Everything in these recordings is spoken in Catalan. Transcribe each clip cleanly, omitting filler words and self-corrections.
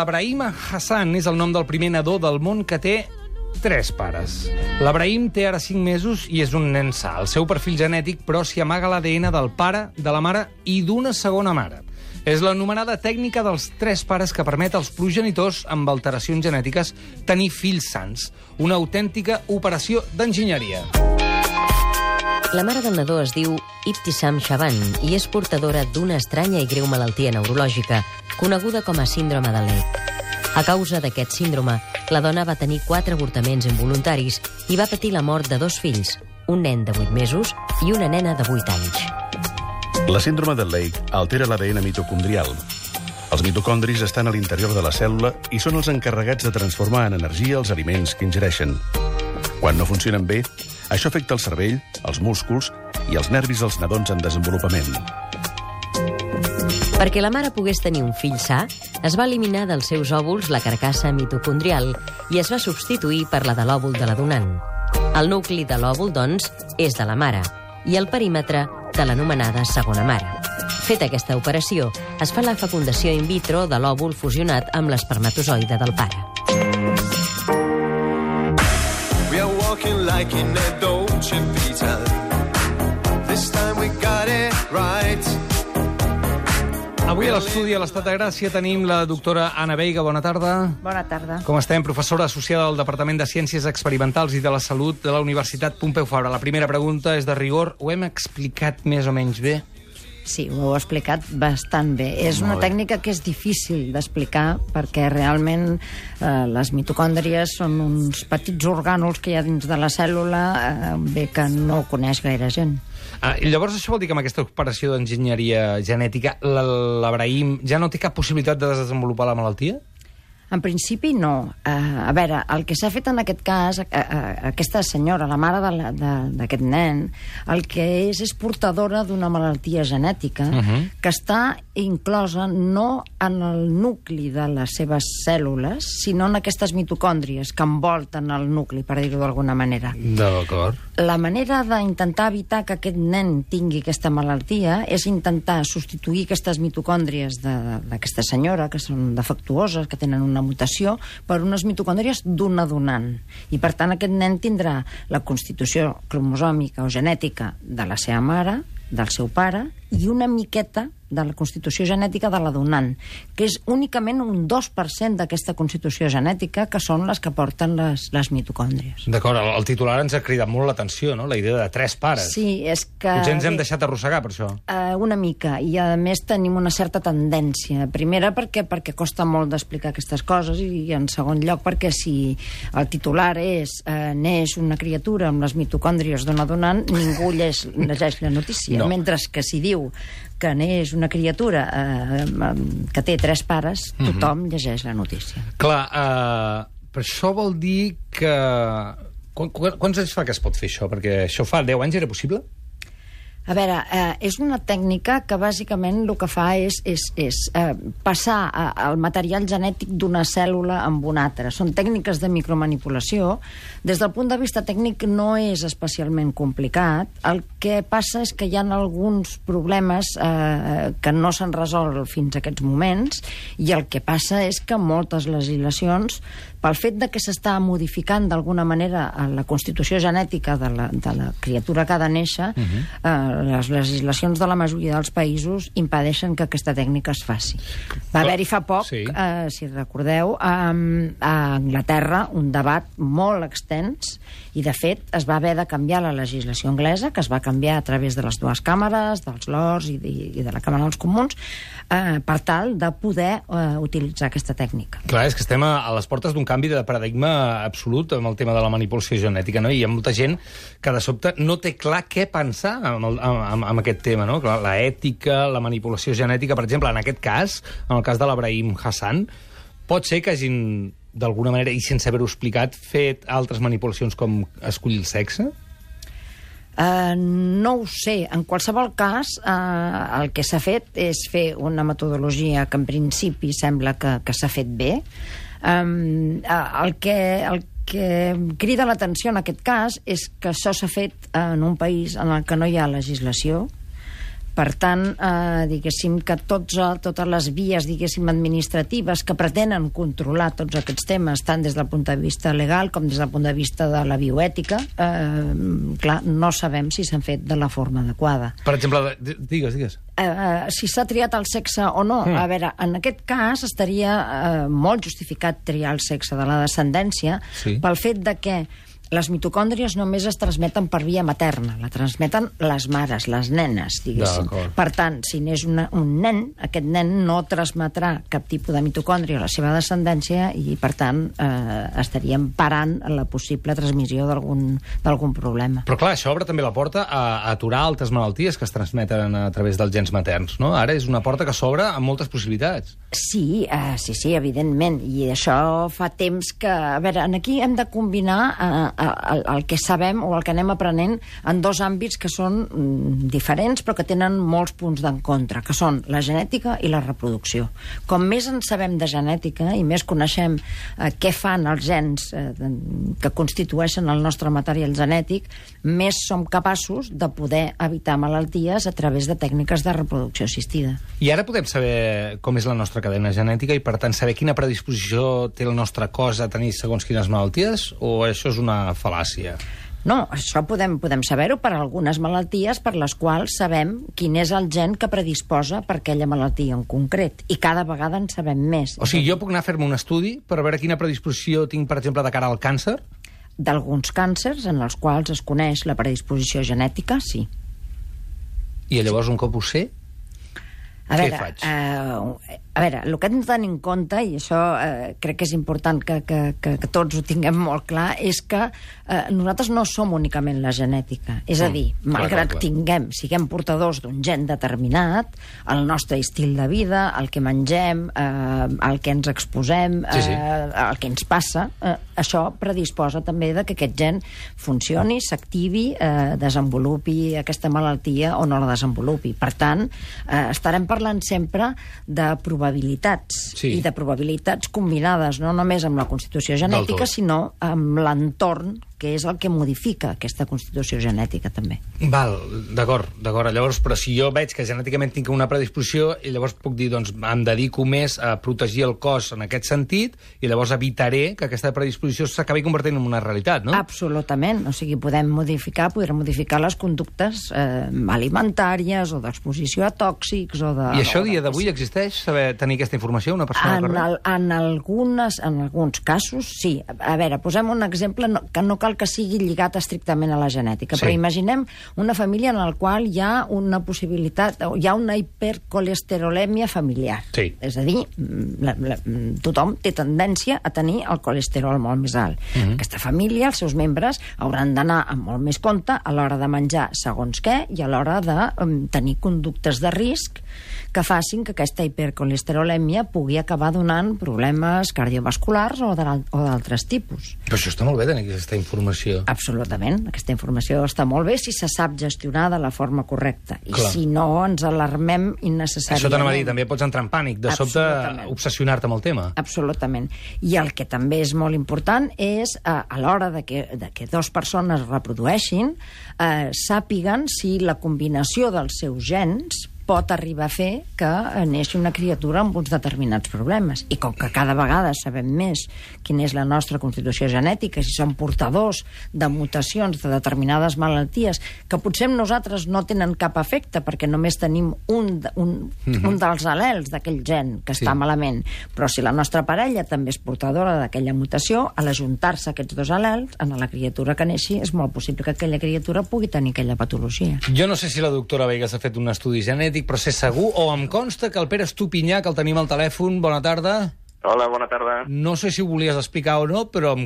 L'Abrahim Hassan és el nom del primer nadó del món que té 3 pares. L'Abrahim té ara 5 mesos i és un nen sa. El seu perfil genètic, però, s'hi amaga l'ADN del pare, de la mare i d'una segona mare. És l'anomenada tècnica dels 3 pares que permet als progenitors amb alteracions genètiques tenir fills sans. Una autèntica operació d'enginyeria. La mare del nadó es diu Ibtisam Shaban i és portadora d'una estranya i greu malaltia neurològica, coneguda com a síndrome de Lake. A causa d'aquest síndrome, la dona va tenir 4 avortaments involuntaris i va patir la mort de 2 fills, un nen de 8 mesos i una nena de 8 anys. La síndrome de Lake altera l'ADN mitocondrial. Els mitocondris estan a l'interior de la cèl·lula i són els encarregats de transformar en energia els aliments que ingereixen. Quan no funcionen bé, això afecta el cervell, els músculs i els nervis dels nadons en desenvolupament. Perquè la mare pogués tenir un fill sa, es va eliminar dels seus òvuls la carcassa mitocondrial i es va substituir per la de l'òvul de la donant. El nucli de l'òvul, doncs, és de la mare i el perímetre de l'anomenada segona mare. Feta aquesta operació, es fa la fecundació in vitro de l'òvul fusionat amb l'espermatozoide del pare. We are walking like in a Dolce Vita. This time we got it right. Avui a l'estudi a l'Estat de Gràcia tenim la doctora Anna Veiga. Bona tarda. Bona tarda. Com estem? Professora associada al Departament de Ciències Experimentals i de la Salut de la Universitat Pompeu Fabra. La primera pregunta és de rigor. Ho hem explicat més o menys bé? Sí, ho heu explicat bastant bé. És una tècnica que és difícil d'explicar perquè realment les mitocòndries són uns petits orgànuls que hi ha dins de la cèl·lula bé que no ho coneix gaire gent. Llavors això vol dir que amb aquesta operació d'enginyeria genètica l'Abrahim ja no té cap possibilitat de desenvolupar la malaltia? En principi, no. A veure, el que s'ha fet en aquest cas, aquesta senyora, la mare d'aquest nen, el que és portadora d'una malaltia genètica que està inclosa no en el nucli de les seves cèl·lules, sinó en aquestes mitocòndries que envolten el nucli, per dir-ho d'alguna manera. D'acord. La manera d'intentar evitar que aquest nen tingui aquesta malaltia és intentar substituir aquestes mitocòndries d'aquesta senyora, que són defectuoses, que tenen una mutació, per unes mitocòndries d'una donant. I, per tant, aquest nen tindrà la constitució cromosòmica o genètica de la seva mare, del seu pare, i una miqueta de la constitució genètica de la donant, que és únicament un 2% d'aquesta constitució genètica, que són les que porten les mitocòndries. D'acord, el titular ens ha cridat molt l'atenció, no?, la idea de 3 pares. Sí, és que... Potser ens hem deixat arrossegar per això. Una mica, i a més tenim una certa tendència. Primera, perquè costa molt d'explicar aquestes coses, i en segon lloc perquè si el titular és neix una criatura amb les mitocòndries d'una donant, ningú llegeix la notícia. No. Mentre que si diu que neix una criatura que té 3 pares, tothom llegeix la notícia. Clar, però això vol dir que... Quants anys fa que es pot fer això? Perquè això fa 10 anys era possible? A veure, és una tècnica que bàsicament el que fa és passar el material genètic d'una cèl·lula amb una altra. Són tècniques de micromanipulació. Des del punt de vista tècnic no és especialment complicat. El que passa és que hi ha alguns problemes que no s'han resolt fins a aquests moments, i el que passa és que moltes legislacions, pel fet de que s'està modificant d'alguna manera la constitució genètica de la criatura que ha de néixer, les legislacions de la majoria dels països impedeixen que aquesta tècnica es faci. Va haver-hi fa poc, si recordeu, a Anglaterra un debat molt extens, i de fet es va haver de canviar la legislació anglesa, que es va canviar a través de les 2 càmeres, dels Lords i de la Càmera dels Comuns, per tal de poder utilitzar aquesta tècnica. Clar, és que estem a les portes d'un canvi de paradigma absolut amb el tema de la manipulació genètica, no? I hi ha molta gent que de sobte no té clar què pensar amb aquest tema, no? La ètica, la manipulació genètica, per exemple, en aquest cas, en el cas de l'Abrahim Hassan, pot ser que hagin, d'alguna manera, i sense haver-ho explicat, fet altres manipulacions com escollir el sexe? No ho sé. En qualsevol cas, el que s'ha fet és fer una metodologia que en principi sembla que s'ha fet bé. El que crida l'atenció en aquest cas és que això s'ha fet en un país en el que no hi ha legislació, Per tant, diguéssim que totes les vies, diguéssim, administratives que pretenen controlar tots aquests temes, tant des del punt de vista legal com des del punt de vista de la bioètica, clar, no sabem si s'han fet de la forma adequada. Per exemple, digues. Si s'ha triat el sexe o no. A veure, en aquest cas estaria molt justificat triar el sexe de la descendència pel fet de que les mitocòndries només es transmeten per via materna, la transmeten les mares, les nenes, diguéssim. Per tant, si n'és un nen, aquest nen no transmetrà cap tipus de mitocòndria a la seva descendència i, per tant, estaríem parant la possible transmissió d'algun problema. Però clar, això obre també la porta a aturar altres malalties que es transmeten a través dels gens materns, no? Ara és una porta que s'obre amb moltes possibilitats. Sí, evidentment, i això fa temps que... A veure, aquí hem de combinar el que sabem o el que anem aprenent en dos àmbits que són diferents però que tenen molts punts d'encontre, que són la genètica i la reproducció. Com més en sabem de genètica i més coneixem què fan els gens que constitueixen el nostre material genètic, més som capaços de poder evitar malalties a través de tècniques de reproducció assistida. I ara podem saber com és la nostra cadena genètica i, per tant, saber quina predisposició té el nostre cos a tenir segons quines malalties? O això és una fal·làcia? No, això podem saber-ho per algunes malalties per les quals sabem quin és el gen que predisposa per aquella malaltia en concret. I cada vegada en sabem més. O sigui, jo puc anar a fer-me un estudi per veure quina predisposició tinc, per exemple, de cara al càncer? D'alguns càncers en els quals es coneix la predisposició genètica, sí. I llavors, un cop ho sé, què faig? A veure, el que hem de tenir en compte, i això crec que és important que tots ho tinguem molt clar, és que nosaltres no som únicament la genètica. És a dir, malgrat siguem portadors d'un gen determinat, el nostre estil de vida, el que mengem, el que ens exposem, el que ens passa, això predisposa també que aquest gen funcioni, s'activi, desenvolupi aquesta malaltia o no la desenvolupi. Per tant, estarem parlant sempre de probabilitats, i de probabilitats combinades, no només amb la constitució genètica, sinó amb l'entorn, que és el que modifica aquesta constitució genètica, també. Val, d'acord. Llavors, però si jo veig que genèticament tinc una predisposició, i llavors puc dir, doncs, em dedico més a protegir el cos en aquest sentit, i llavors evitaré que aquesta predisposició s'acabi convertint en una realitat, no? Absolutament. O sigui, podrem modificar les conductes alimentàries o d'exposició a tòxics o de... I això, dia d'avui, existeix? Saber tenir aquesta informació, una persona en alguns casos, sí. A veure, posem un exemple que no cal que sigui lligat estrictament a la genètica, però imaginem una família en la qual hi ha una possibilitat, hi ha una hipercolesterolèmia familiar. És a dir, tothom té tendència a tenir el colesterol molt més alt. Aquesta família, els seus membres, hauran d'anar amb molt més compte a l'hora de menjar segons què i a l'hora de tenir conductes de risc que facin que aquesta hipercolesterolèmia pugui acabar donant problemes cardiovasculars o d'altres tipus. Però això està molt bé, tenir aquesta informació. Absolutament. Aquesta informació està molt bé si se sap gestionar de la forma correcta. I si no, ens alarmem innecessàriament. Això t'anava a dir, també pots entrar en pànic, de sobte obsessionar-te amb el tema. Absolutament. I el que també és molt important és, a l'hora de que dues persones reprodueixin, sàpiguen si la combinació dels seus gens pot arribar a fer que neixi una criatura amb uns determinats problemes. I com que cada vegada sabem més quina és la nostra constitució genètica, si som portadors de mutacions de determinades malalties, que potser amb nosaltres no tenen cap efecte perquè només tenim un dels al·lels d'aquell gen que està malament, però si la nostra parella també és portadora d'aquella mutació, a l'ajuntar-se aquests dos al·lels, en la criatura que neixi, és molt possible que aquella criatura pugui tenir aquella patologia. Jo no sé si la doctora Vegas ha fet un estudi genètic, però sé segur, o em consta que el Pere Estupinyà, que el tenim al telèfon, bona tarda. Hola, bona tarda. No sé si ho volies explicar o no, però ho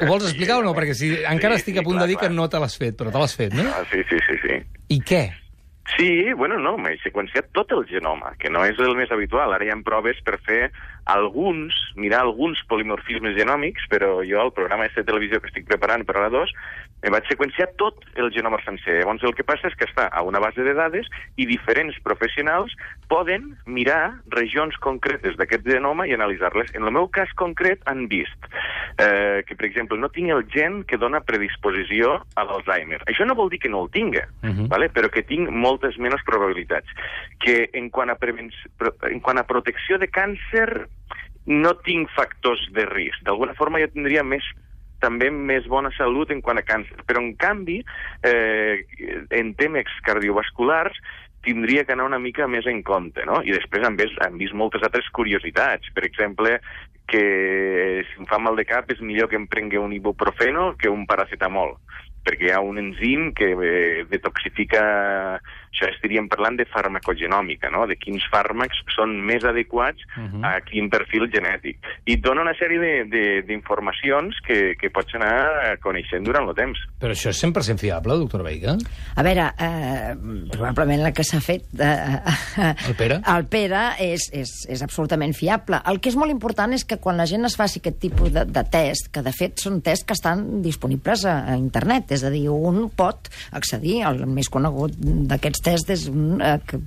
vols explicar o no? Perquè encara estic a punt de dir que no te l'has fet, però te l'has fet, no? Sí. I què? Sí, bueno, no, m'he seqüenciat tot el genoma, que no és el més habitual. Ara hi ha proves per fer mirar alguns polimorfismes genòmics, però jo al programa de televisió que estic preparant per a la 2 em vaig seqüenciar tot el genoma sencer. Llavors el que passa és que està a una base de dades i diferents professionals poden mirar regions concretes d'aquest genoma i analitzar-les. En el meu cas concret han vist que, per exemple, no tinc el gen que dona predisposició a l'Alzheimer. Això no vol dir que no el tinga, ¿vale? Però que tinc moltes menys probabilitats. Que en quant a protecció de càncer no tinc factors de risc. D'alguna forma jo tindria també més bona salut en quant a càncer. Però, en canvi, en temes cardiovasculars tindria que anar una mica més en compte, no? I després han vist moltes altres curiositats. Per exemple, que si em fa mal de cap és millor que em prengui un ibuprofeno que un paracetamol, perquè hi ha un enzim que detoxifica... Això estaríem parlant de farmacogenòmica, no? De quins fàrmacs són més adequats a quin perfil genètic. I et dona una sèrie d'informacions que pots anar coneixent durant el temps. Però això és 100% fiable, doctor Veiga? A veure, probablement la que s'ha fet... El Pere? El Pere és absolutament fiable. El que és molt important és que quan la gent es faci aquest tipus de test, que de fet són tests que estan disponibles a internet, és a dir, un pot accedir, el més conegut d'aquests tests és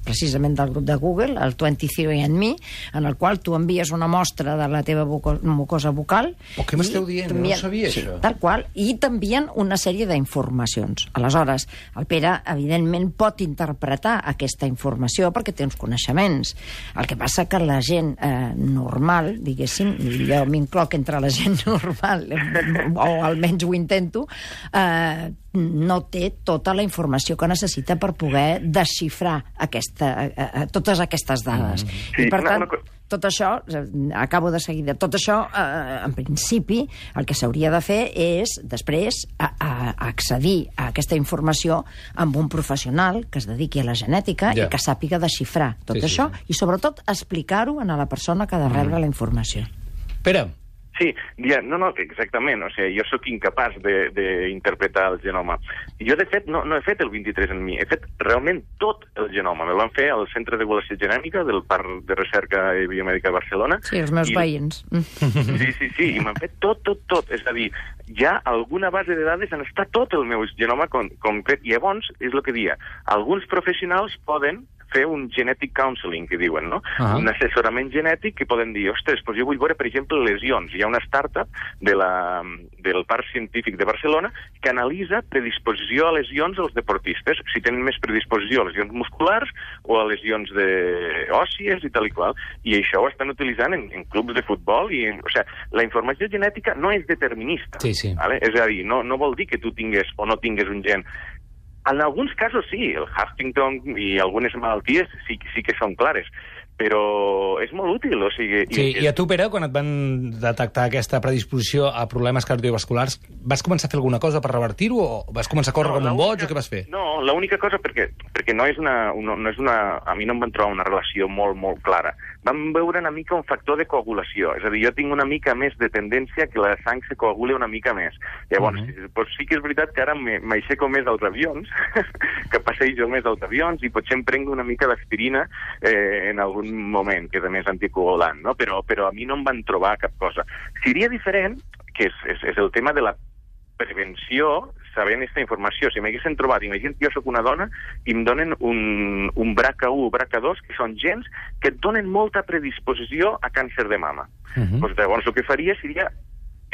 precisament del grup de Google, el 23andMe, en el qual tu envies una mostra de la teva mucosa bucal. Què m'esteu dient? No sabia això. Tal qual, i t'envien una sèrie d'informacions. Aleshores, el Pere, evidentment, pot interpretar aquesta informació perquè té uns coneixements. El que passa que la gent normal, diguéssim, i jo m'incloc entre la gent normal, o almenys ho intento, no té tota la informació que necessita per poder desxifrar totes aquestes dades. I, per tant, tot això, acabo de seguida, tot això, en principi, el que s'hauria de fer és, després, accedir a aquesta informació amb un professional que es dediqui a la genètica i que sàpiga desxifrar tot això i, sobretot, explicar-ho a la persona que ha de rebre la informació. Pere. Sí, no, exactament. O sigui, jo sóc incapaç d'interpretar el genoma. Jo, de fet, no he fet el 23andMe, he fet realment tot el genoma. Me el van fer al Centre d'Evaluació Genèmica del Parc de Recerca Biomèdica de Barcelona. Sí, els meus veïns. Sí, i m'han fet tot. És a dir, ja alguna base de dades on està tot el meu genoma concret. I llavors, és el que dia, alguns professionals poden fer un genetic counseling, que diuen, no? Un assessorament genètic que poden dir, ostres, doncs jo vull veure, per exemple, lesions. Hi ha una startup del Parc Científic de Barcelona que analitza predisposició a lesions als deportistes, si tenen més predisposició a lesions musculars o a lesions òssies i tal i qual. I això ho estan utilitzant en clubs de futbol. O sigui, la informació genètica no és determinista. Sí. Vale? És a dir, no vol dir que tu tingues o no tingues un gen. En alguns casos sí, el Huntington i algunes malalties sí que són clares, però és molt útil. O sigui, I a tu, Pere, quan et van detectar aquesta predisposició a problemes cardiovasculars, vas començar a fer alguna cosa per revertir-ho o vas començar a córrer com un boig o què vas fer? No, l'única cosa, perquè no és una... A mi no em van trobar una relació molt, molt clara. Vam veure una mica un factor de coagulació. És a dir, jo tinc una mica més de tendència que la sang se coagule una mica més. Llavors, sí que és veritat que ara m'aixeco més als avions, que passejo més als avions i potser em prenc una mica d'aspirina en algun moment, que és a més anticoagulant, no? Però a mi no em van trobar cap cosa. Seria diferent, que és el tema de la prevenció, sabent aquesta informació. Si m'haguessin trobat, imagina't que jo soc una dona i em donen un BRCA1 o BRCA2, que són gens que et donen molta predisposició a càncer de mama. Doncs llavors el que faria seria,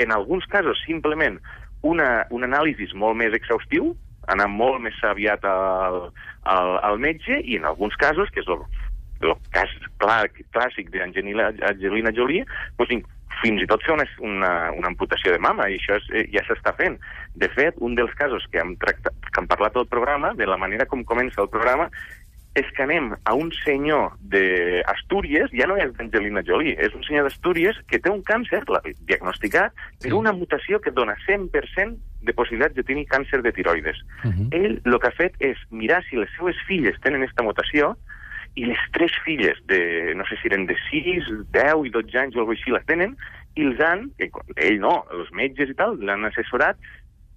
en alguns casos, simplement un anàlisi molt més exhaustiu, anar molt més aviat al metge, i en alguns casos, que és el cas clàssic d'Angelina Jolie, doncs fins i tot fer una amputació de mama, i això ja s'està fent. De fet, un dels casos que hem parlat al programa, de la manera com comença el programa, és que anem a un senyor d'Astúries, ja no és d'Angelina Jolie, és un senyor d'Astúries que té un càncer diagnosticat per una mutació que dona 100% de possibilitats de tenir càncer de tiroides. Ell el que ha fet és mirar si les seues filles tenen aquesta mutació, i les 3 filles, no sé si eren de 6, 10 i 12 anys o alguna així, les tenen, i ell no, els metges i tal, l'han assessorat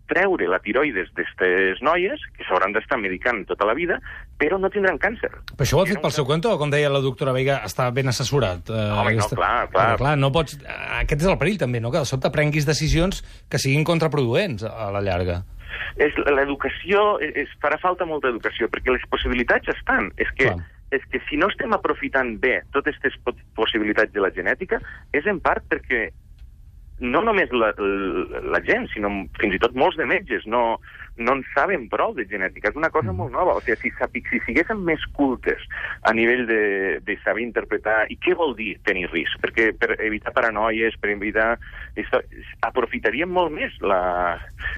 treure la tiroides d'aquestes noies, que s'hauran d'estar medicant tota la vida, però no tindran càncer. Però això ho ha fet pel seu compte, o com deia la doctora Veiga, està ben assessorat? Home, no, clar. Clar, no pots... Aquest és el perill, també, no? Que de sobte prenguis decisions que siguin contraproduents a la llarga. L'educació, farà falta molta educació, perquè les possibilitats estan. És que si no estem aprofitant bé totes aquestes possibilitats de la genètica, és en part perquè no només la gent, sinó fins i tot molts de metges no en saben prou de genètica. És una cosa molt nova. O sigui, si siguéssim més cultes a nivell de saber interpretar i què vol dir tenir risc, perquè per evitar paranoies, per evitar... aprofitaríem molt més la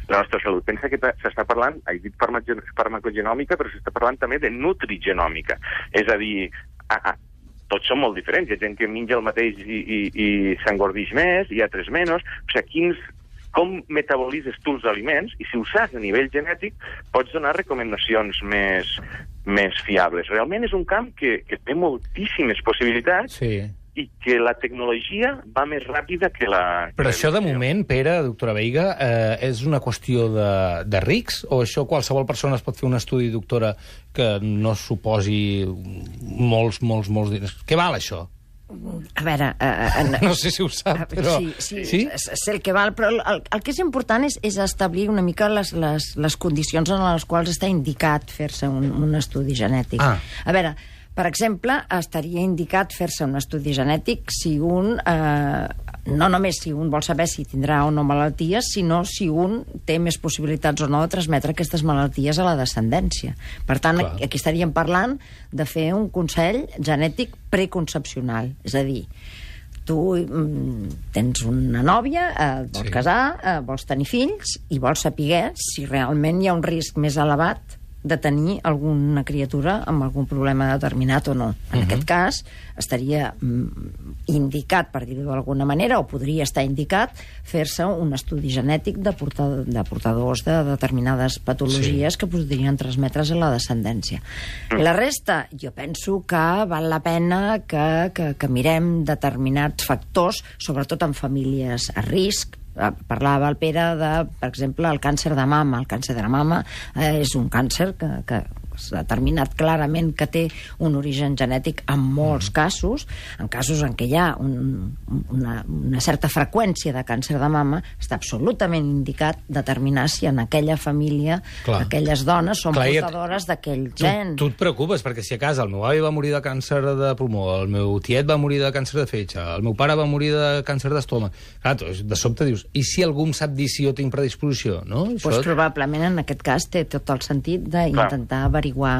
nostra salut. Pensa que s'està parlant, he dit farmacogenòmica, però s'està parlant també de nutrigenòmica. És a dir, tots són molt diferents. Hi ha gent que menja el mateix i s'engordix més, hi ha altres menys. O sigui, com metabolitzes tu els aliments, i si ho saps a nivell genètic, pots donar recomanacions més fiables. Realment és un camp que té moltíssimes possibilitats i que la tecnologia va més ràpida que la... Però això, de moment, Pere, doctora Veiga, és una qüestió de rics? O això qualsevol persona es pot fer un estudi, doctora, que no suposi molts diners? Què val, això? A veure... No sé si ho sap, però... Sí? Sé el que val, però el que és important és establir una mica les condicions en les quals està indicat fer-se un estudi genètic. A veure, per exemple, estaria indicat fer-se un estudi genètic si un... no només si un vol saber si tindrà o no malalties, sinó si un té més possibilitats o no de transmetre aquestes malalties a la descendència. Per tant, aquí estaríem parlant de fer un consell genètic preconcepcional. És a dir, tu tens una nòvia, vols casar, vols tenir fills i vols saber si realment hi ha un risc més elevat de tenir alguna criatura amb algun problema determinat o no. En aquest cas, estaria indicat, per dir-ho d'alguna manera, o podria estar indicat, fer-se un estudi genètic de portadors de determinades patologies que podrien transmetre's a la descendència. La resta, jo penso que val la pena que mirem determinats factors, sobretot en famílies a risc. Parlava el Pere de, per exemple, el càncer de mama. El càncer de mama és un càncer que s'ha determinat clarament que té un origen genètic en molts casos. En casos en què hi ha una certa freqüència de càncer de mama, està absolutament indicat determinar si en aquella família aquelles dones són portadores d'aquell gen. Tu et preocupes, perquè si a casa el meu avi va morir de càncer de pulmó, el meu tiet va morir de càncer de fetge, el meu pare va morir de càncer d'estómac. Clar, de sobte dius, i si algú em sap dir si jo tinc predisposició, no? Doncs probablement en aquest cas té tot el sentit d'intentar averiguar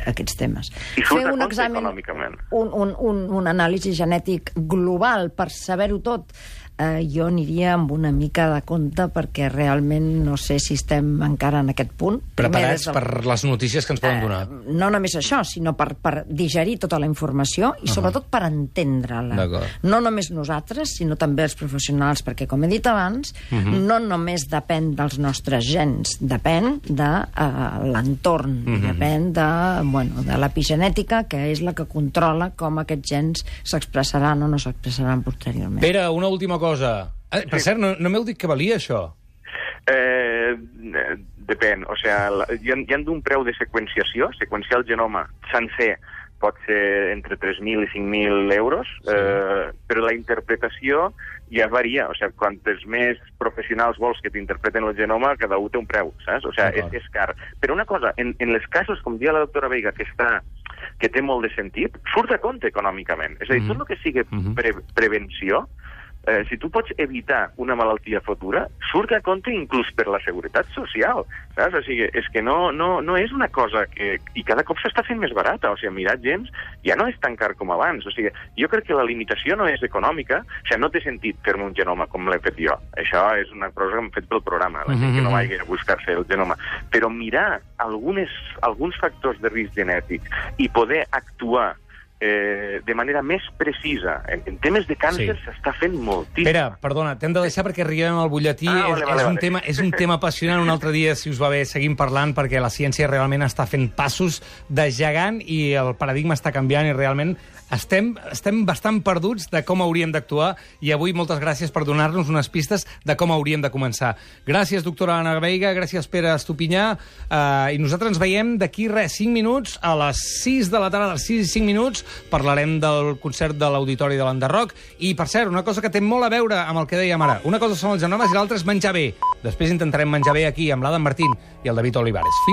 aquests temes. I fer un examen econòmicament. Un anàlisi genètic global per saber-ho tot. Jo aniria amb una mica de compte perquè realment no sé si estem encara en aquest punt. Preparats per les notícies que ens poden donar. No només això, sinó per digerir tota la informació i sobretot per entendre-la. No només nosaltres, sinó també els professionals, perquè, com he dit abans, no només depèn dels nostres gens, depèn de l'entorn, depèn de l'epigenètica, que és la que controla com aquests gens s'expressaran o no s'expressaran posteriorment. Pere, una última cosa. Per cert, no m'heu dit que valia això? Depèn. O sigui, hi ha d'un preu de seqüenciació. Seqüenciar el genoma sencer pot ser entre 3.000 i 5.000 euros, però la interpretació ja varia. O sigui, quantes més professionals vols que t'interpreten el genoma, cada un té un preu, saps? O sigui, és car. Però una cosa, en els casos, com dia la doctora Veiga, que té molt de sentit, surt a compte econòmicament. És a dir, tot el que sigui prevenció, si tu pots evitar una malaltia futura, surt a compte inclús per la seguretat social, saps? O sigui, és que no és una cosa que... I cada cop s'està fent més barata, o sigui, mirar gens ja no és tan car com abans, o sigui, jo crec que la limitació no és econòmica, o sigui, no té sentit fer-me un genoma com l'he fet jo, això és una cosa que hem fet pel programa, la gent que no vagi a buscar-se el genoma, però mirar alguns factors de risc genètic i poder actuar de manera més precisa. En temes de càncer s'està fent moltíssim. Pere, perdona, t'hem de deixar perquè arribem al butlletí. És un tema apassionant. Un altre dia, si us va bé, seguim parlant, perquè la ciència realment està fent passos de gegant i el paradigma està canviant i realment estem bastant perduts de com hauríem d'actuar i avui moltes gràcies per donar-nos unes pistes de com hauríem de començar. Gràcies, doctora Anna Veiga, gràcies, Pere Estupinyà, i nosaltres ens veiem d'aquí 5 minuts, a les 6 de la tarda, a les 6 i 5 minuts, parlarem del concert de l'Auditori de l'Enderroc, i, per cert, una cosa que té molt a veure amb el que dèiem ara, una cosa són els genomes i l'altra és menjar bé. Després intentarem menjar bé aquí amb l'Adam Martín i el David Olivares.